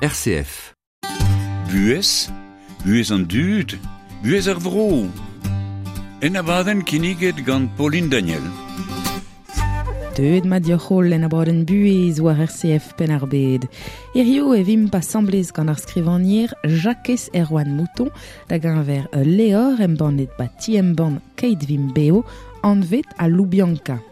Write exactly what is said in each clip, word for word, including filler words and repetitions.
R C F. Buhez, buhez an dud, buhez ar vro. En abadenn kinniget gant Pauline Daniel. Deuet ma dioc'hol en abadenn buhez war R C F Penn-ar-Bed. Hirio e vimp asamblez gant ar skrivagner Jakez Erwan Mouton da geñver Leor embannet ba ti embann Keit Vimp Beo anvet a Loubianka.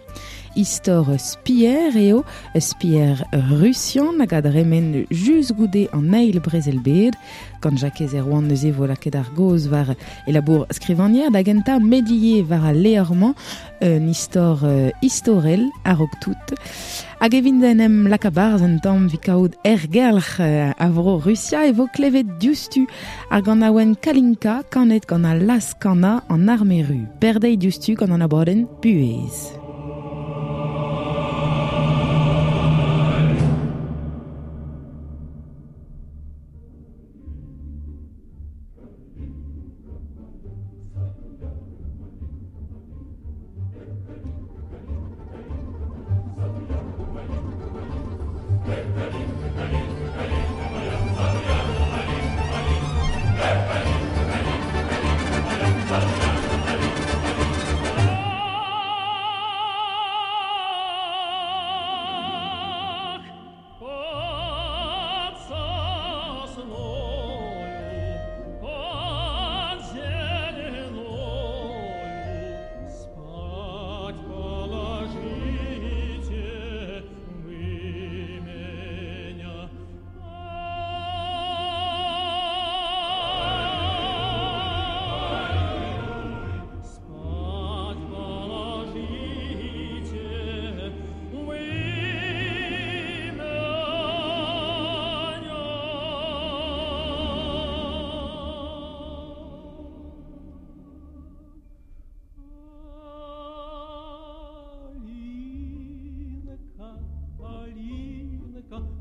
Istor spier eo, spier russian hag a dremen just goude an eil brezel bed. Gant Jakez Erwan neuze vo lakaet ar goz war e labour skrivagner da gentañ medie war al leor-mañ un istor uh, istorel a-raok tout. Hag evit en em lakabarzh un tamm evit kaout ergelc'h uh, a vro Rusia e vo klevet diouzhtu ar ganaouenn Kalinka kanet gant al laz-kana an arme ru. Berdeiz diouzhtu gant an abadenn Buhez.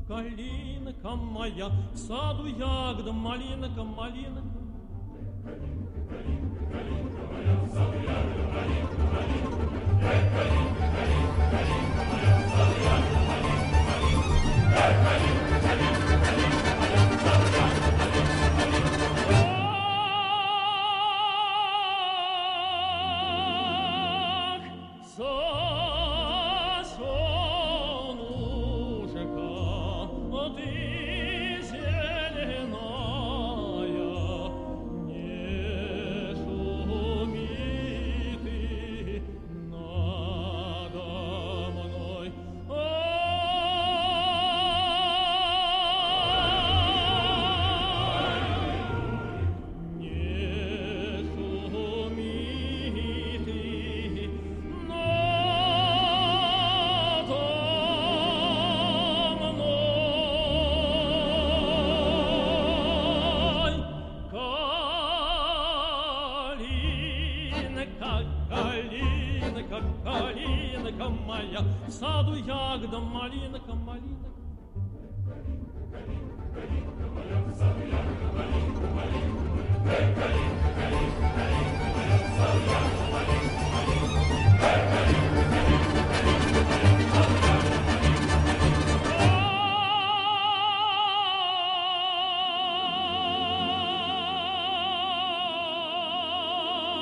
Калинка моя, в саду ягода, малинка, малинка. Калинка, калинка, калинка моя, в саду ягода, малинка, малинка. Калинка, калинка, калинка моя, в саду ягода, малинка, малинка. Калинка, калинка, калинка моя, в саду ягода, малинка, малинка. Ах, сосенушка, ты зеленая, не шуми ты надо мной. Не шуми ты надо мной. Калинка, калинка, калинка моя, в саду ягода, малинка, малинка. Калинка, калинка, калинка моя, в саду ягода, малинка, малинка. Калинка, калинка, калинка моя, в саду ягода, малинка, малинка. Калинка, калинка, калинка моя, в саду ягода, малинка, малинка.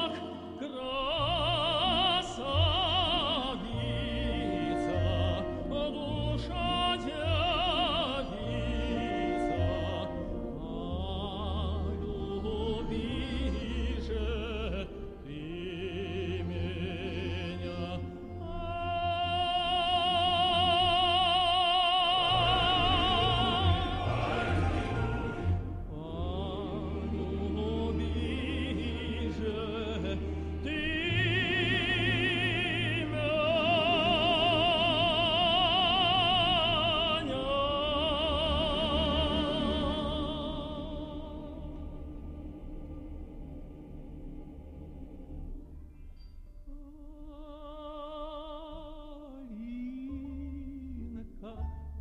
Ах, красавица, душа девица, полюби же ты меня. Полюби же ты меня.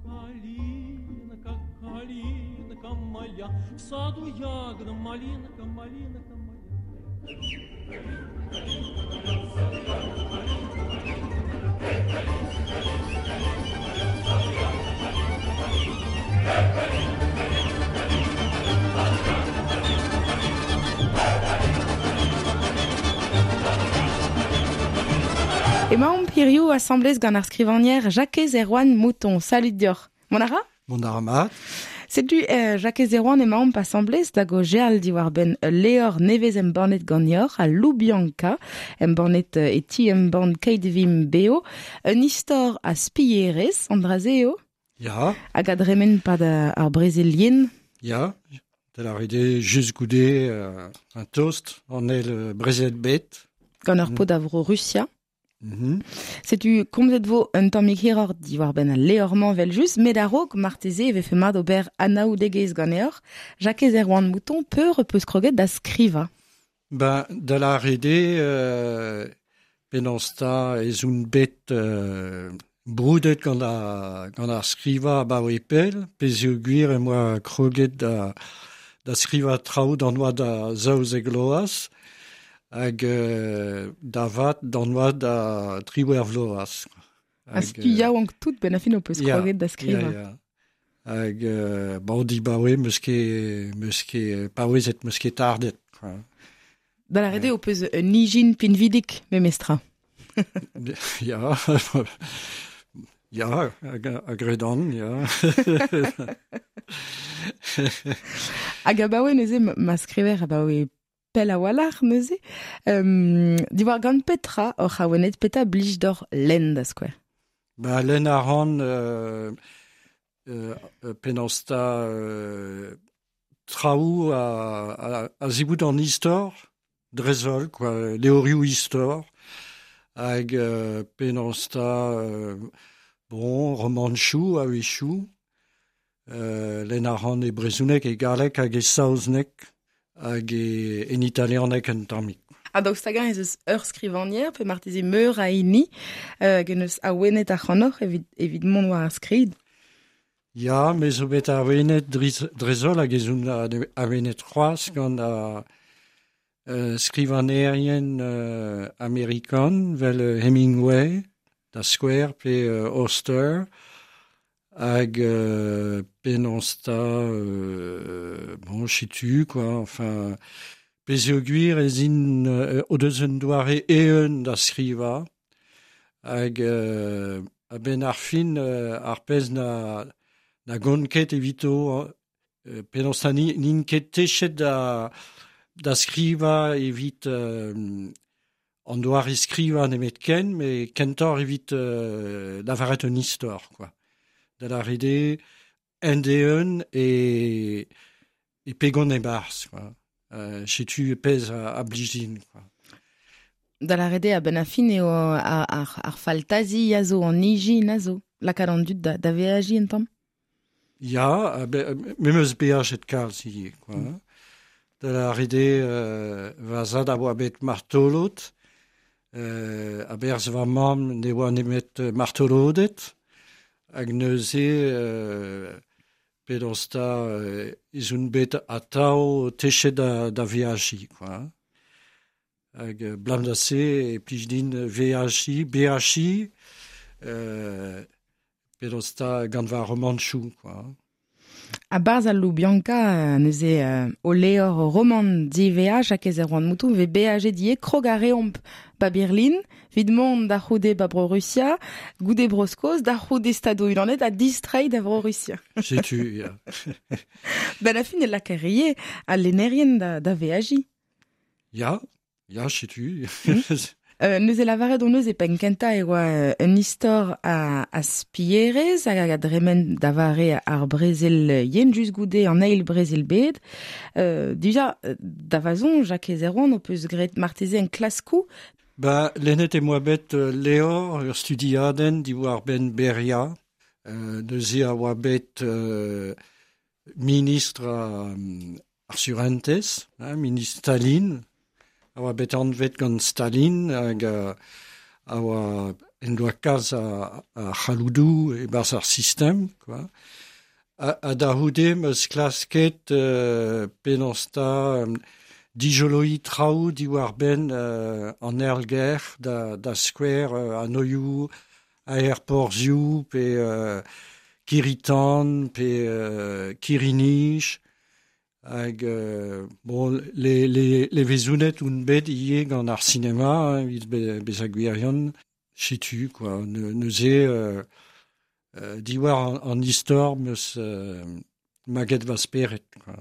Калинка, калинка, калинка моя, в саду ягода, малинка, малинка моя. Калинка, калинка моя, в саду ягода, малинка, малинка. Калинка, калинка, калинка моя, в саду ягода, малинка, малинка. Калинка, калинка, Hirio asamblez gant ar skrivanier Jakez Erwan Mouton. Salut dioc'h. Mon ara? Mon ara mat. Setu euh, Jakez Erwan emaomp asamblez da go geal diwar ben leor nevez embannet ganeoc'h a Loubianca, embannet e ti embann Keit Vimp Beo, un istor a spierez, an draze eo? Ya. Hag a dremen pad ar brezel Ya, da la rede just goude euh, un toast an el brezel bet. Gant ur pod a vro Russia. Mm -hmm. Setu komzet vo un tammig hiroc'h diwar benn al leor-mañ vel just, met a-raok marteze e vefe mat ober anaoudegezh ganeoc'h. Jakez Erwan Mouton, peur peus kroget da skrivañ? Ben, da la rede, euh, penaos ta ez oun bet euh, broudet gant ar, gant ar skrivañ abaoe pell, pezh eo gwir em boa kroget da, da skrivañ traoù d'an oad da zaouzek vloaz, hag euh, da vat d'an oad da triwec'h vloaz. Ha setu yaouank tout ben a fin ho peus kroget da skrivañ. Ya, ya. Hag euh, bon, dibaoe meus ket, meus ket paouezet, meus ket tardet. Quoi. Da la rede ho peus un ijin pinvidik memestra. Ya, ya, a gredan, ya. Hag abaoe neuze ma skriver abaoe pell a-walc'h neuze. Um, diwar gant petra oc'h awenet, petra blij d'or lenn da skouer? Ba, lenn a ran euh, euh, penaos ta euh, traoù a, a, a zivout an istor, drezol, quoi, leorioù istor, hag euh, penaos ta euh, bon, romanchoù a-wechoù, euh, lenn a ran e brezhoneg e galleg hag e saozneg, hag e, en italianeg un tammig. Ha daoust hag-eñ ez eus ur skrivagner, pe marteze meur a hini, euh, hag en eus awenet ac'hanoc'h evit, evit mont war ar skrid? Ya, me zo bet awenet drezol hag ez oun awenet c'hoazh gant a euh, skrivanerien euh, amerikan, vel Hemingway, da skouer, pe euh, Auster, hag euh, penaos ta euh, bon, setu, quoi, enfin, pezh eo gwir ez int euh, o deus un doare eeun da skrivañ, hag euh, a-benn ar fin euh, ar pezh na, na gont ket evito, euh, penaos ta n'int ket techet da, da skrivañ evit euh, an doare skrivañ nemet ken, met kentoc'h evit euh, lavaret un istor, quoi. Da la rede end-eeun e, e pegon e-barzh, quoi. Euh, setu pezh a, a blij din, quoi. Da la rede a-benn ar fin eo ar, ar, ar faltazi a zo, an ijin a zo, lakaat an dud da, da veajiñ un tamm? Ya, me 'm eus beajet kalz ivez, quoi. Mm. Da la rede euh, va zad a oa bet martolod, euh, a-berzh va mamm ne oa nemet martoloded, hag neuze euh, penaos ta euh, ez oun bet atav techet da, da veajiñ, quoi. Hag euh, blam da se e plij din veajiñ, beajiñ, euh, penaos ta gant va romanchoù, quoi. A-barzh al Loubianca neuze euh, o leor roman diveaj Jakez Erwan Mouton ve beajet die krog a reomp ba Berlin, vid mont da c'houde ba bro Russia, goude bro Skos, da c'houde stado unanet ha distreiñ da vro Russia. Setu, ya. Ben a fin e lakarie al lennerien da, da veajiñ. Ya, ya, setu. Mm. Euh, neuze lavaret hon eus e penn kentañ e oa un istor a, a spierez hag a dremen da vare ar brezel yen just goude an eil brezel bed. Euh, dija, da vazon, Jakez Erwan, ho peus graet marteze en klaskoù? Ba, lennet em boa bet leor ur studiadenn diwar benn Beria. Euh, neuze a oa bet euh, ministr a, ar surentez, hein, ministr Staline, a oa bet anvet gant Staline hag a, a oa en doa kalz a, a c'halloudoù e-barzh ar sistem, quoi. A, a da c'houde 'm eus klasket euh, penaos ta euh, dijoloiñ traoù diwar benn euh, an aergelc'h da, da skouer euh, anoioù, aerporzhioù, pe euh, kirri-tan, pe euh, kirri-nij, hag euh, bon, le, le, levezonet oun bet ivez gant ar sinema, evit be, bezañ gwirion. Setu, quoi. Ne, neuze euh, euh, diwar an, an istor meus euh, maget va speret, quoi.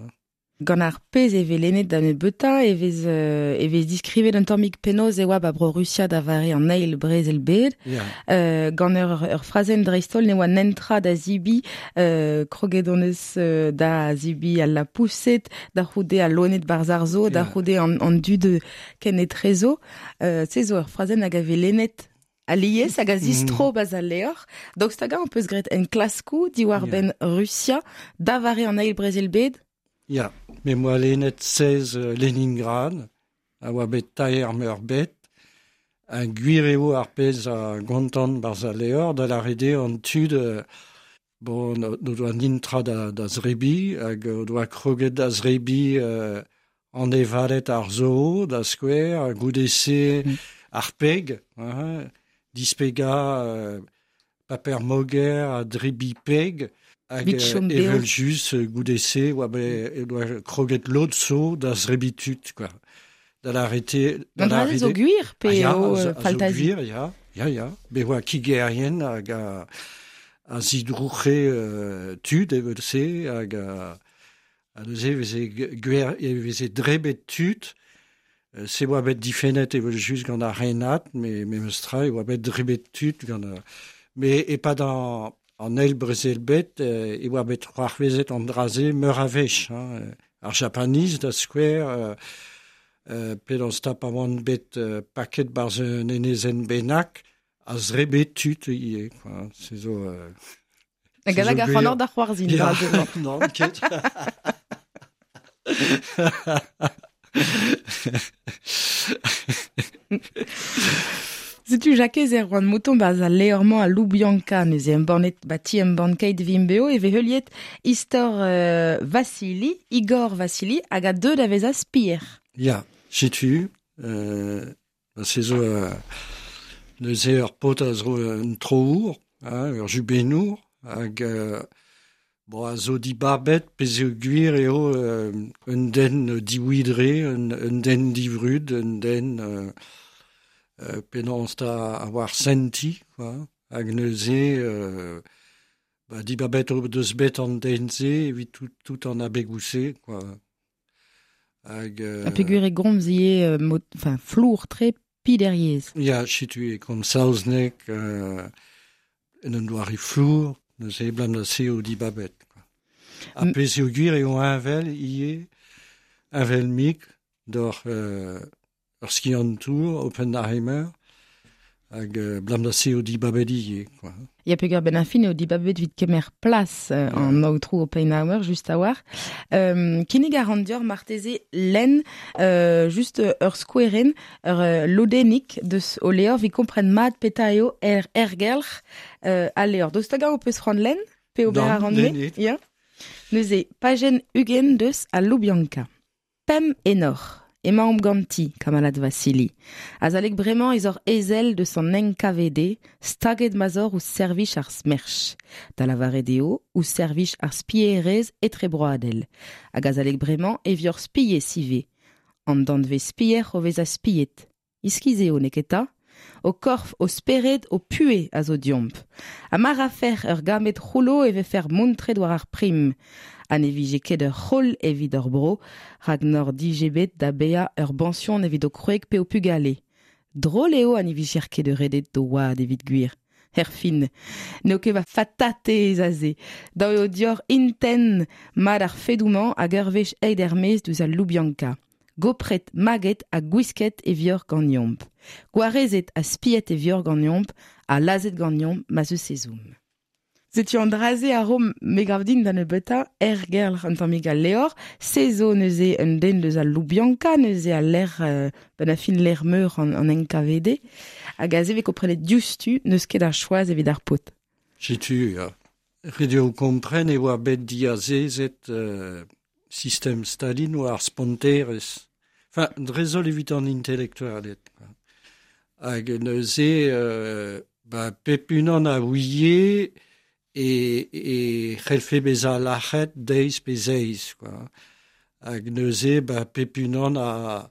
Gant ar pezh e vez lennet da nebeuta, e vez, euh, e vez diskrivet un tammig penaos e oa ba bro Rusia da vare an eil brezel bed. Yeah. Euh, gant ur, ur frazenn dreist-holl ne oa nentra da zibi, euh, kroget hon eus euh, da zibi al la pousset, da c'houde al loened barzh ar zoo, da Yeah. c'houde an, an dud ken etrezo. Euh, se zo ur frazenn hag a vez lennet alies hag a zistro mm. baz al leor. Daoust hag an peus graet en klaskou diwar Yeah. ben Rusia, da vare an eil brezel bed. Ya, me moa lennet seiz euh, Leningrad, a oa bet taer meur bet, un gwir eo ar pezh a gontant barzh al leor, da la rede an tud, euh, bon, no, no doa nintra da, da zrebi, hag o doa kroget da zrebi euh, an evalet ar zoo, da skouer, ha goude se Mm. ar peg, hein, dispega euh, paper moger a drebi peg, hag Vit chom beo. evel just euh, goude se oa be, e doa kroget lod zo da zrebi tud, quoi. Da la rete... Da Gant la dra-se zo rede- gwir pe Ah, ya, eo a zo- euh, a zo faltazi. gwir, ya, ya, ya. Be oa kigerien hag a, a zidrouc'he euh, tud evel se, hag a, a neuze e veze gwer, e veze drebet tud, Euh, se oa bet difennet evel just gant ar renad, me, me meus tra, e oa bet drebet tud gant... euh, me e pa an, an eil brezel bet, euh, e oa bet c'hoarvezet an draze meur a wech, hein. Ar Japaniz da skouer, euh, euh, pe d'an stap a oan bet euh, paket barz un enezen bennak, a zrebet tud ivez, quoi. Se zo... Euh, Hag se zo hag ar gwir. c'hanor da c'hoarzhin. Ya, dra-se. non, ket. Setu Jakez Erwan Mouton baz al leormañ a Loubianca neuze embannet ba ti embann keit vimbeo e vez heuliet istor euh, Vassili, Igor Vassili hag a deuet da vezañ spier. Ya, setu, euh, ba se zo euh, neuze ur paotr a zo un troour, hein, ur jubenour, hag euh, bon, a zo dibabet pezh eo gwir eo euh, un den diwidre, un, un den divrud, un den euh, euh, penaos da a war senti, quoi, hag neuze euh, ba, dibabet eo deus bet an den se evit tout, tout an abegoù-se, quoi. Hag, euh, Ha peogwir e gomz ivez euh, mot, enfin, flour tre pideriez. Ya, setu e komz saozneg euh, en un doare flour, neuze blam da se eo dibabet, quoi. Ha M- pezh eo gwir eo heñvel ivez, heñvel mik d'ur euh, ur skiantour, Oppenheimer, hag euh, blam da se eo dibabet ivez, quoi. Ya peogwir ben ar fin eo dibabet evit kemer plas euh, Ya. an aotrou Oppenheimer just a war. Euh, kinnig a ran dior marteze lenn euh, just euh, ur skoueren, ur euh, lodennig deus o leor vi kompren mat peta eo er ergelc'h euh, al leor. Daoust hag ho peus c'hoant lenn pe ober Nann, a ran me? lennit. Ya. Neuze, pajenn ugent deus a Loubianca. Pem enor. Emaomp ganti, kamalad Vassili. Azalek bremañ ez or ezel deus an N K V D, staget mazor ouzh servij ar smerch. Da lavaret eo, ouzh servij ar spierez etrebroadel. Hag azalek bremañ e vior spie sive. An danvez spier o vez a spiet. Iskiz eo neketa? O korf, o spered, o pue a zo diomp. Ha mar a fer ur gamet c'houlo e vefer montret war ar prim. Ha ne vije ket ur c'holl evit ur bro, rak nor dije bet da bea ur bansion evit o kroeg pe o pugale. Drôle eo ha ne vije ket ur redet do oad evit gwir. Herfin, n'eo ket va fatate ez aze. Da eo dior inten mat ar fedoumañ hag ur wech eid er-maez deus al Loubianca. Gopret, maget ha gwisket e vior ganeomp. Gwarezet ha spiet e vior ganeomp, ha lazet ganeomp ma zeus ezoum. Setu an draze a ro me gav din da nebeutañ ergelc'h an tammig al leor, se zo neuze un den deus al Loubianca, neuze al lec'h, euh, ben a fin lec'h meur an, an N K V D, hag aze vez komprenet diouzhtu n'eus ket ar choaz evit ar paotr. Setu, ya. Ret eo kompren e oa bet diazezet euh, sistem Stalin oa ar sponterez. Enfin, dreist-holl evit an intelektualed, quoi. Hag neuze, euh, ba, pep unan a ouie e, e c'hellfe bezañ lac'het deiz pe zeiz, quoi. Hag neuze, ba, pep unan a,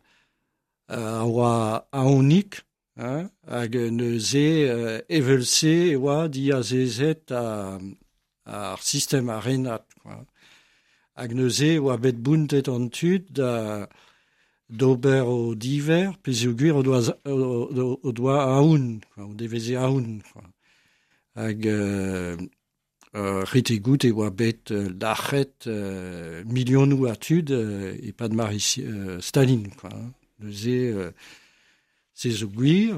a oa aonik, Hein, hag neuze euh, evelse e oa diazezet a, ar sistem a renat, quoi. Hag neuze e oa bet bountet an tud da d'ober o diver, peogwir o doa, o, o doa aoun, quoi, o deveze aoun, quoi. Hag euh, euh, ret eo gout e oa bet euh, lac'het euh, milionoù a tud euh, e-pad mare euh, Staline, quoi. Neuze euh, se zo gwir,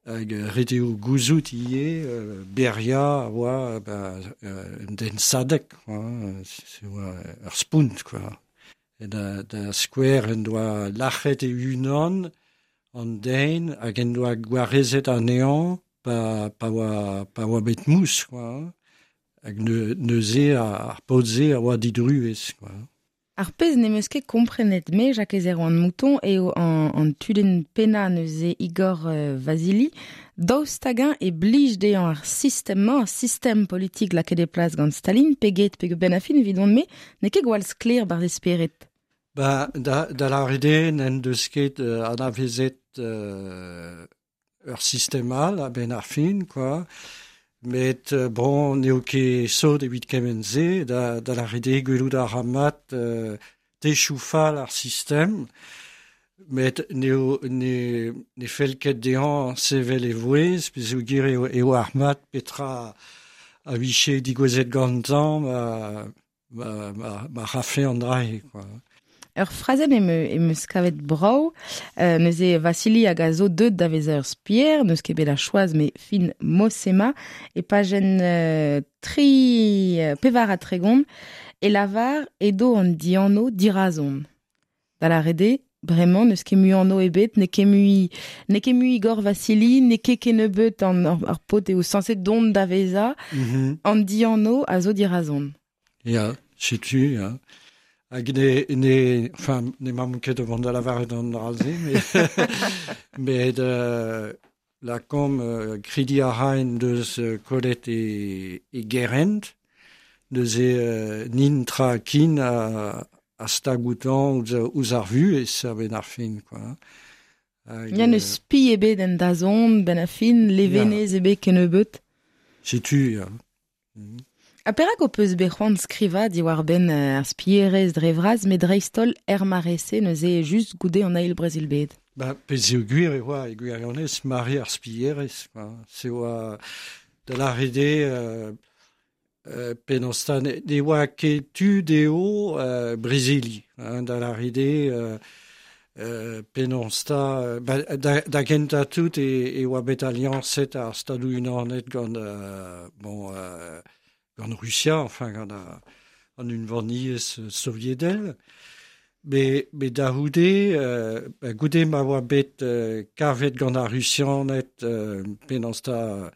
hag ret eo gouzout ivez euh, Beria a oa ba, euh, un den sadek, quoi, se oa ur spount, quoi. E da, da skouer en doa lac'het e unan an den hag en doa gwarezet anezhañ pa, pa, oa, pa oa bet mous, quoi. Hag ne, neuze ar paotr-se a oa didruez, quoi. Ar pezh n'em eus ket komprenet me, Jakez Erwan Mouton, eo an, an tudenn pennañ neuze Igor euh, Vasili, daoust hag-eñ e blij dezhañ ar sistem-mañ, ar sistem politik lakaet e plas gant Stalin, pe get pe ben a fin evidon-me, n'eo ket gwall sklaer barzh e spered. Ba, da, da lâret eo n'en deus ket euh, anavezet euh, ur sistem all a-benn ar fin, quoi. Met euh, bon, n'eo ket sot evit kement-se, da, da lâret eo gwelout a ra mat euh, techoù fall ar sistem, met n'eo ne, ne fell ket dezhañ sevel e vouezh, peogwir eo, eo ar mat petra a vije digouezet gantañ ma, ma, ma, ma rafe an dra-se, quoi. Ur frazenn em, em eus kavet brav, euh, neuze Vassili hag a zo deut da vezañ ur spier, n'eus ket bet a choaz me fin Mosema, e pajenn euh, tri euh, pevar ha tregont, e lavar edo an dianv dirazon. Da lâret eo, bremañ n'eus ket mui anv ebet, n'eo ket mui, n'eo ket mui Igor Vassili, n'eo ket kennebeut an ar, ar paotr eo sañset dont da vezañ, Mm -hmm. an dianv a zo dirazon. Ya, setu, ya. Hag ne, ne, enfin, ne m'am ket o vont da lavaret an dra-se, met, met euh, lakaomp euh, krediñ a ra en deus euh, kollet e, e gerent, neuze euh, nin tra kin a, a stag outañ ouzh, ouzh ar vuhez a-benn ar fin, quoi. Hag, Ya n'eus spi ebet en dazont, ben a fin, levenez ebet kennebeut. Setu, ya. Mm. Ha perak ho peus bet c'hoant skrivañ diwar-benn ar spierezh dre vras, met dreist-holl er mare-se neuze just goude an eil brezel-bed? Ba, peogwir e oa e gwirionez mare ar spierezh, quoi. Se oa da lâret eo euh, euh, penaos ta ne, ne oa ket tu dezho euh, brezeliñ, hein, da lâret eo euh, euh, penaos ta, ba, da, da gentañ tout e, e oa bet aliañset ar Stadoù-Unanet gant euh, bon, euh, gant Rusia, enfin gant a, an unvaniezh soviedel. Me, me da c'houde, euh, ba, goude ma oa bet euh, kavet gant ar Rusianed euh, penaos ta,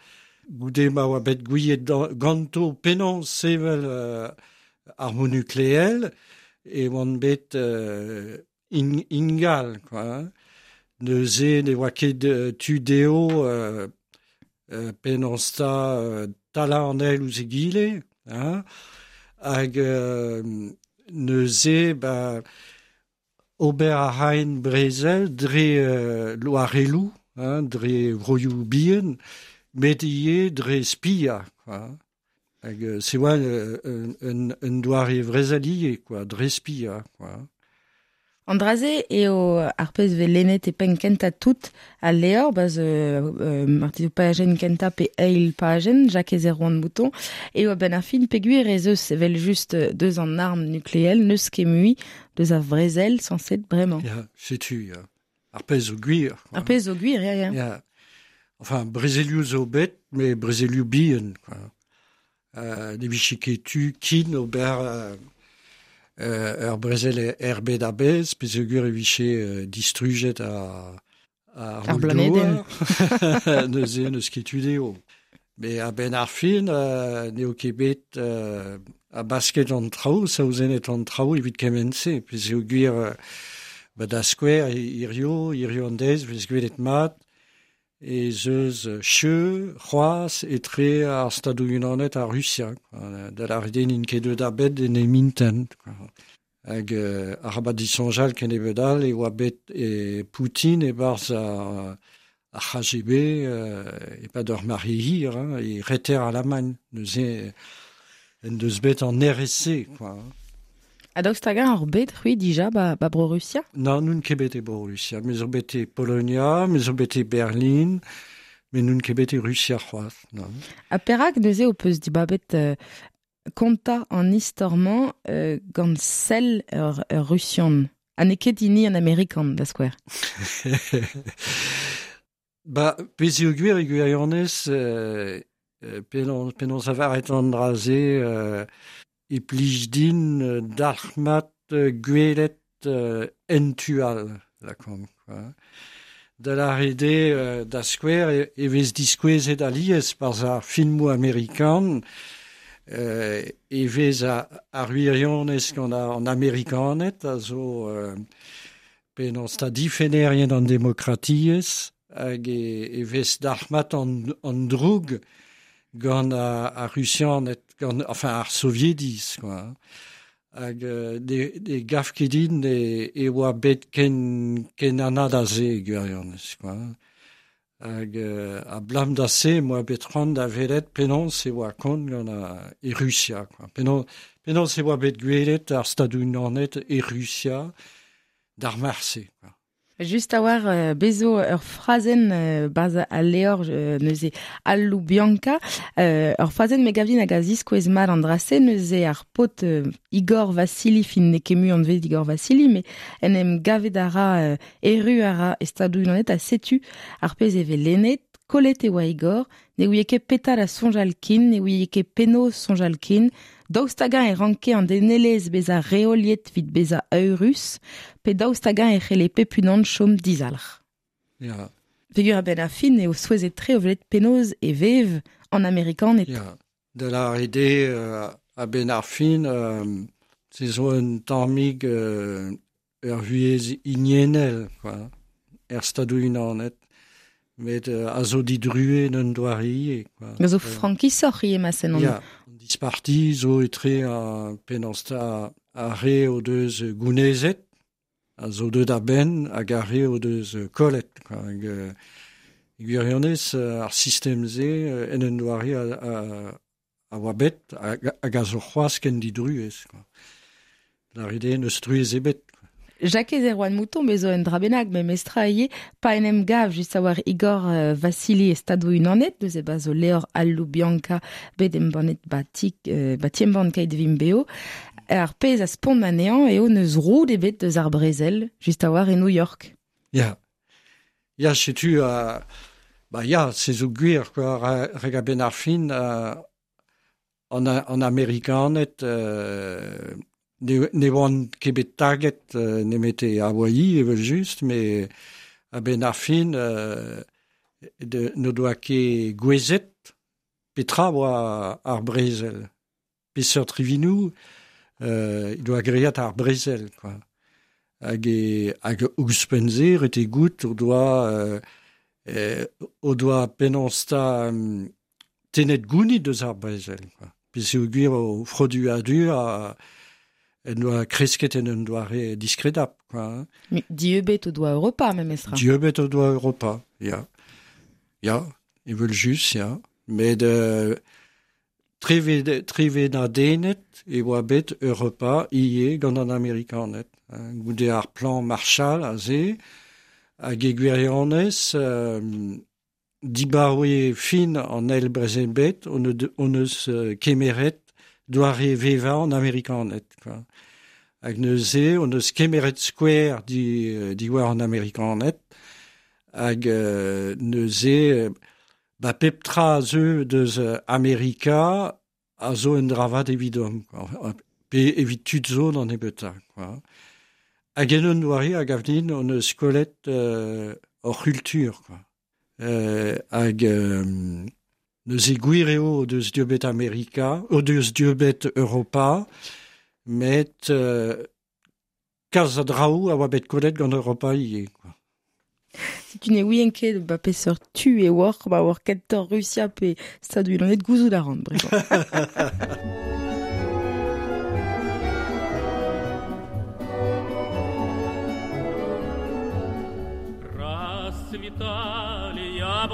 goude ma oa bet gouiet ganto penaos sevel euh, armoù nukleel, e oant bet euh, in, ingal, quoi. Neuze ne oa ket tu dezho euh, euh, penaos ta euh, talañ an eil ouzh egile, hein, hag euh, neuze ba, ober a raent brezel dre euh, loarelloù, hein, dre vroioù bihan, met ivez dre spiañ, quoi. Hag euh, se oa euh, un, un, un doare brezel ivez, quoi, dre spiañ, quoi. An dra-se eo ar pezh vez lennet e penn kentañ tout al levr, ba'z euh, euh, marteze pajenn kentañ pe eil pajenn, Jakez Erwan Mouton, eo a-benn ar fin peogwir ez eus evel just deus an arm nukleel, n'eus ket mui deus ar vrezel sañset bremañ. Ya, setu, ya. Ar pezh zo gwir. Ar pezh zo gwir, ya, ya. Ya. Enfin, brezelioù zo bet, met brezelioù bihan, quoi. Euh, ne vije ket tu kin ober euh, euh, ur brezel er bed a-bezh, peogwir e vije euh, distrujet ar, ar Ar blanedenn. Neuze n'eus ket tu dezho. Met a-benn ar fin, euh, n'eo ket bet euh, a basket an traoù, saouzenet an traoù evit kement-se, peogwir euh, ba da skouer hirio, hirio an deiz, vez gwelet mat, ez eus cheu, c'hoazh etre ar Stadoù-Unanet ha Rusia, quoi. Da lâret eo n'int ket deuet a-benn en em intent, quoi. Hag euh, arabat disoñjal kennebeut all e oa bet e Poutine e-barzh ar, ar K G B euh, e pa d'ur mari hir, hein, e reter Alamagn, neuze en deus bet an R S C, quoi. Ha daoust hag ar bet c'hwi dija ba, ba Bro-Rusia? Non, nun ket bet e Bro-Rusia. Me zo bet e Polonia, me zo bet e Berlin, me nun ket bet e Rusia c'hoazh, non. Ha perak neuze ho peus dibabet euh, konta an istor-mañ euh, gant sell ur, ur Rusian? Ha n'eo ket hini an Amerikan, da skouer. Ba, pezh eo gwir e gwirionez, euh, penaos, penaos avaret an dra-se, euh, e plij din dalc'hmat gwelet euh, entual, lakomp, quoi. Da la rede euh, da skouer e, e vez diskouezet alies par ar filmoù amerikan, euh, e vez a, ar wirionez gant an Amerikanet, a zo euh, penaos ta difennerien an demokratiezh, hag e, e vez dalc'hmat an, an droug gant ar Rusianed, gant, enfin ar Soviediz, quoi. Hag euh, de, de gaf ket din e, e oa bet ken, ken anad a se, gwirionez, quoi. Hag euh, a blam da se, moa bet c'hoant da welet penaos e oa kont gant a, e Rusia, quoi. Penaos, penaos e oa bet gwelet ar Stadoù-Unanet e Rusia d'ar marse, quoi. Just a war euh, bezo ur frazenn euh, baz a leor euh, neuze Al Loubianka, euh, ur frazenn me gavdin hag a ziskouez mat an drase neuze ar pot euh, Igor Vassili, fin n'eo ket mui anvet Igor Vassili, mais en em gavet a ra euh, erru a ra e Stadoù-Unanet a setu ar pezh e ve lennet, kollet e oa Igor, ne ouie ket petal a soñjal kin, ne ouie ket penaos soñjal kin, daoust hag-eñ e ranke an denelezh bezañ reoliet evit bezañ eurus, pe daoust hag-eñ e c'helle pep unan chom dizalc'h. Ya. Peogwir a-benn ar fin eo souezhet tre o welet penaos e vev an Amerikaned. Ya. Da la rede euh, a-benn ar fin, euh, se zo un tammig euh, ur vuhez hiniennel, quoi, er Stadoù-Unanet. Met euh, a zo didrue n'un doare ivez, quoi. A zo frankisoc'h ivez ma sen an... Ya, an disparti zo etre a penaos ta ar re o deus gounezet, a zo deut a-benn hag ar re o deus kollet, quoi. Hag, euh, gwirionez, ar sistem-se en un doare a, a, a oa bet hag, hag a zo c'hoazh ken didruez, quoi. La rede n'eus truez ebet. Jakez Erwan Mouton, bezo un dra bennak, me mestra ivez, pa en em gav just a war Igor euh, Vassili e Stadoù-Unanet, deus e bazo leor Al Loubianka bet embannet batik, euh, ba ti-embann Keit Vimp Beo. Ar pezh a spont anezhañ eo neus roud ebet deus ar brezel, just a war e New York. Ya. Ya, setu, euh, ba ya, se zo gwir, quoi, reg a-benn ar fin, euh, an, an Amerikaned, euh, ne, ne oant ket bet taget euh, nemet e Hawaii, evel just, mais a-benn ar fin, euh, de, ne doa ket gouezet petra oa ar brezel. Peseurt rivinou, euh, doa great ar brezel, quoi. Hag e, hag ouzhpenn-se, ret eo goût o doa, euh, euh, o doa penaos ta um, tenet gounid deus ar brezel, quoi. Pezh eo gwir o froduadur a en doa kresket en un doare diskredap, quoi. Mais dieubet o doa Europa, memestra. Dieubet o doa Europa, ya. Ya, evel just, ya. Met euh, treve, treve na denet e oa bet Europa ivez gant an Amerikaned. Hein, goude ar plan Marshall aze, hag e gwirionez, euh, dibaoe fin an eil brezel bet, on, on eus euh, kemeret doare vevañ an Amerikaned, quoi. Hag neuze, on eus kemeret skouer di, diwar an Amerikaned, hag euh, neuze, ba pep tra zeu deus Amerika a zo un dravat evidom, quoi. Pe evit tud zo d'an ebeta, quoi. Hag en un doare hag avdin on eus kollet euh, hor c'hultur, quoi. Euh, hag euh, neuze gwir eo deus dieubet Amerika, o deus dieubet Europa, met euh, kalz a draoù a oa bet kollet gant Europa ivez, quoi. Si tu ne ouien ket ba peseurt tu e war, ba war kentoc'h Rusia pe Stadoù-Unanet gouzout a ran, bremañ. Расцветали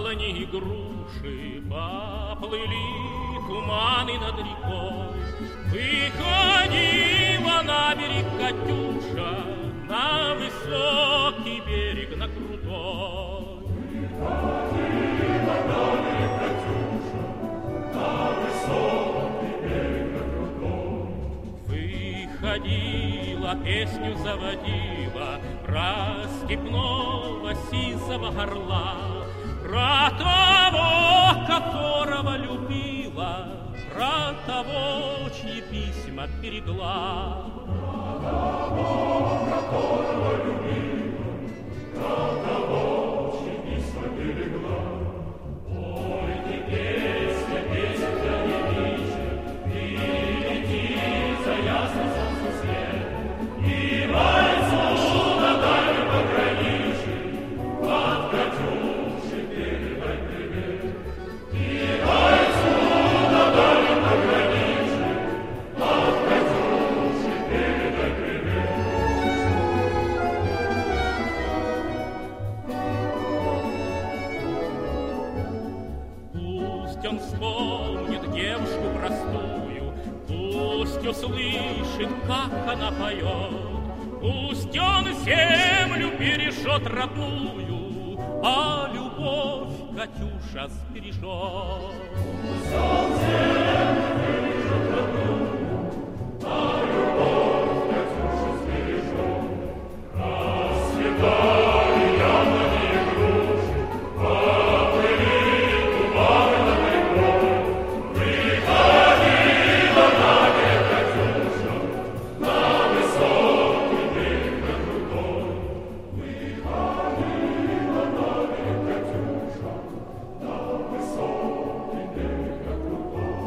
Яблони и груши, поплыли туманы над рекой. Выходила на берег Катюша, на высокий берег, на крутой. Выходила на берег Катюша, на высокий берег, на крутой. Выходила, песню заводила про степного сизого орла, про того, которого любила, про того, чьи письма берегла. Про того, которого любила, про того, чьи письма берегла. Ой, ты песня, песня девичья, ты лети за ясным солнцем свет, и вальцу на дальнем пограничье от Катюши передай привет. И вальцу на дальнем пограничье от Катюши передай привет. Пусть он вспомнит девушку простую, пусть услышит, как она поет, пусть он землю бережет родную, а любовь Катюша сбережет. Пусть он землю бережет родную, а любовь Катюша сбережет. Расцветали яблони и груши, поплыли туманы над рекой. Выходила на берег Катюша, на высокий берег, на крутой. Выходила на берег Катюша, на высокий берег, на крутой.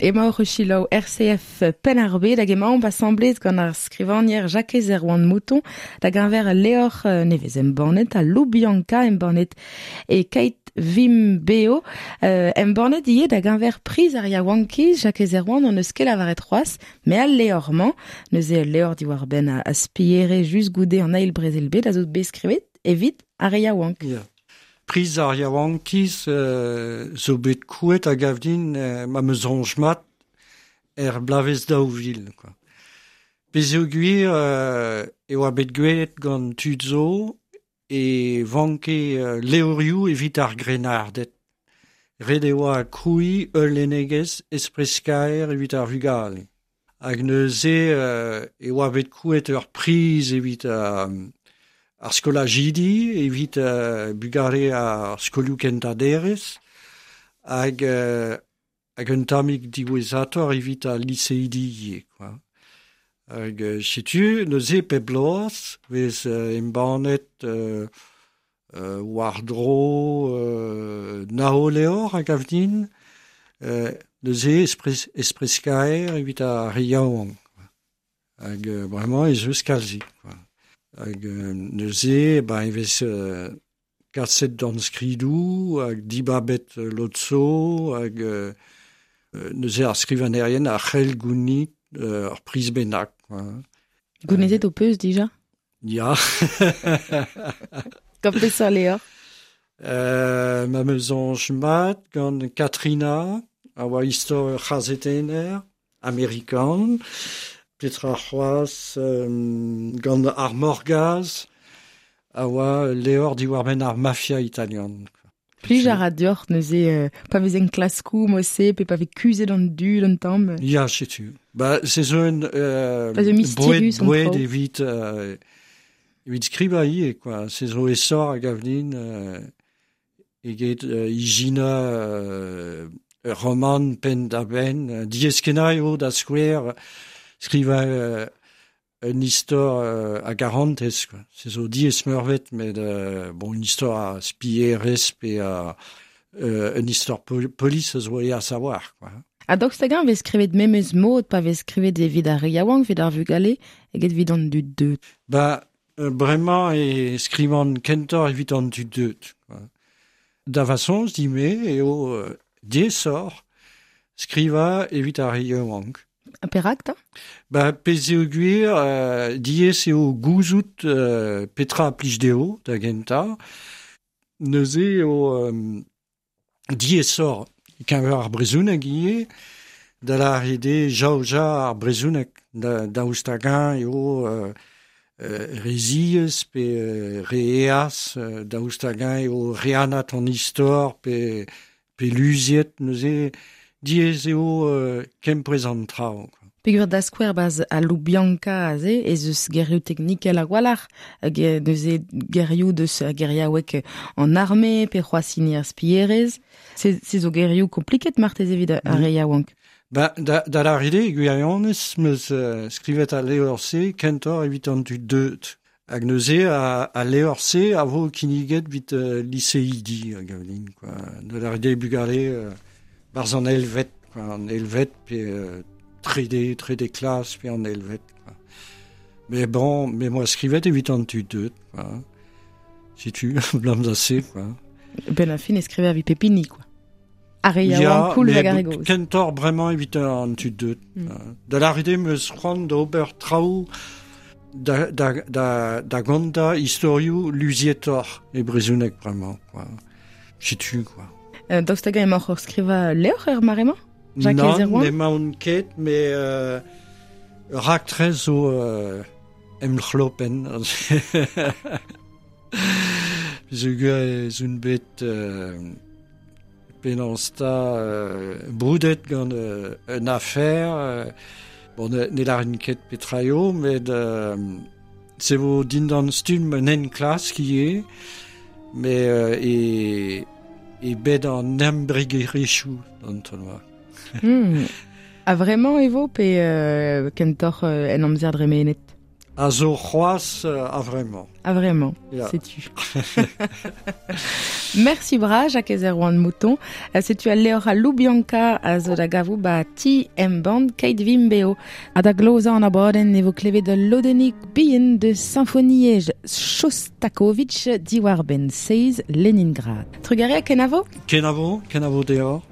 Emaoc'h o selaou R C F Penn-ar-Bed hag emaomp asambles gant ar skrivagner Jakez Erwan Mouton da geñver levr nevez embannet ha Loubianca embannet e Keit Vim Beo euh, embannet ivez da geñver priz ar yaouankiz. Jakez Erwan an eus ket lavaret c'hoazh, met al levr-mañ neuze ul levr diwar-benn a, a spiere just goude an eil brezel bet a zo bet skrivet evit ar yaouank. Ya. Priz ar yaouankiz euh, zo bet krouet hag gav din euh, ma meus soñj mat er blavez daou vil, quoi. Bez eo gwir euh, e oa bet gwelet gant tud zo e vanke euh, levrioù evit ar grennarded. Ret e oa krouiñ ul lennegezh espreskaer evit ar vugale. Hag neuze euh, e oa bet krouet ur priz evit euh, ar skolajidi, evit euh, bugale ar skolioù kentañ-derez, hag, euh, hag un tammig diwezhatoc'h evit ar liseidi ivez, quoi. Hag euh, setu neuze pep bloaz vez euh, embannet euh, euh, war-dro euh, nao levr hag gav din, euh, neuze espres, espreskaer evit ar re yaouank, quoi. Hag euh, bremañ ez eus kalzik, quoi. Hag euh, neuze, ba, e vez euh, kaset d'an skridoù, hag dibabet euh, lotso, hag euh, neuze ar skrivanerien ar c'hell gounit euh, ur priz bennak, quoi. Gounezet ho peus dija? Ya. Gant peseurt levr? Euh, ma meus soñj mat gant Katrina, a oa istor ur c'hazetenner amerikan, Petra c'hoazh euh, gant ar Morgaz, a oa levr diwar-benn ar mafia italian. Plij a ra deoc'h neuze euh, pa vez en klaskoù mod-se, pe pa vez kuzhet an dud an tamm. Ya, setu. Ba, se zo un euh, Pa zo mysterius an boued, boued traoù. evit, euh, evit skrivañ ivez, quoi. Se zo esor hag avnin euh, eget euh, ijina euh, ur roman penn da benn. Diaes-kenañ eo da skouer skrivañ euh, un istor euh, a garantez, quoi. Se zo diaes meurbet, met euh, bon, un istor a spierez pe a, euh, un istor pol polis a zo à savoir, quoi. Ha daoust hag-eñ vez skrivet memes mod pa vez skrivet evit ar re yaouank, evit ar vugale, eget evit an dud deut? Ba, euh, bremañ e skrivan kentoc'h evit an dud deut, quoi. Da va soñj dime eo euh, diesor skriva evit ar re yaouank. Perak ta? Ba, pezh eo gwir, euh, diaes eo gouzout euh, petra a plij dezho da gentañ. Neuze eo euh, diesor keñver ar brezhoneg ivez, da lâret eo jaoja ar brezhoneg da, daoust hag-eñ eo euh, euh, re ziaes pe euh, re aes, euh, daoust hag-eñ eo re anat an istor pe, pe luziet, neuze diaes eo euh, kempouez an traoù. Peogwir da skouer baz a Loubianca aze, ez eus gerioù teknikel a-walc'h, neuze gerioù deus geriaoueg an arme, pe c'hoazh hini ar spierez. Se, se zo gerioù kompliket marteze evit ar re yaouank. Ba, da, da lâret eo, gwirionez, 'm eus uh, skrivet al levr-se kentoc'h evit an dud deuet. Hag neuze a, al levr-se a vo kinniget evit uh, liseidi, a gav din, quoi. Da lâret eo bugale uh, barzh an eilvet, quoi, an eilvet pe uh, trede, trede klas pe an eilvet, quoi. Mais bon, me 'm boa skrivet evit an tud deuet, quoi. Setu, blam da se, quoi. Ben ar fin e skriver evit pep hini, quoi. Ar re yaouank koulz hag ar re gozh. Kentoc'h bremañ evit an tud deuet. Mm. Da lâret eo 'm eus c'hoant d'ober traoù da, da, da, da gontañ istorioù luzietoc'h e brezhoneg bremañ, quoi. Setu, quoi. Euh, daoust hag-eñ emaoc'h o skrivañ levr er mare-mañ? Jacques Nann, Erwan? n'emaon ket, met euh, raktres zo euh, em c'hlopenn. Peogwir ez on bet euh, penaos 'ta euh, broudet gant euh, un afer, euh, bon, ne, ne lârin ket petra eo, met euh, se vo dindan stumm un enklask ivez, met euh, e, e bed an embregerezhioù an taol-mañ. Hmm. A vremañ e vo pe euh, kentoc'h euh, en amzer dremenet? A zo c'hoazh euh, a vremañ. A vremañ, Ya. setu. Mersi bras, Jacques Erwan Mouton. Euh, Setu al levr a Loubianca a zo da gavout ba ti embann Keit Vimp Beo. Ha da glozañ an abadenn e vo klevet ul lodennig bihan de Sinfoniezh Shostakovich diwar-benn seiz Leningrad. Trugarez, kenavo? Kenavo, kenavo deoc'h.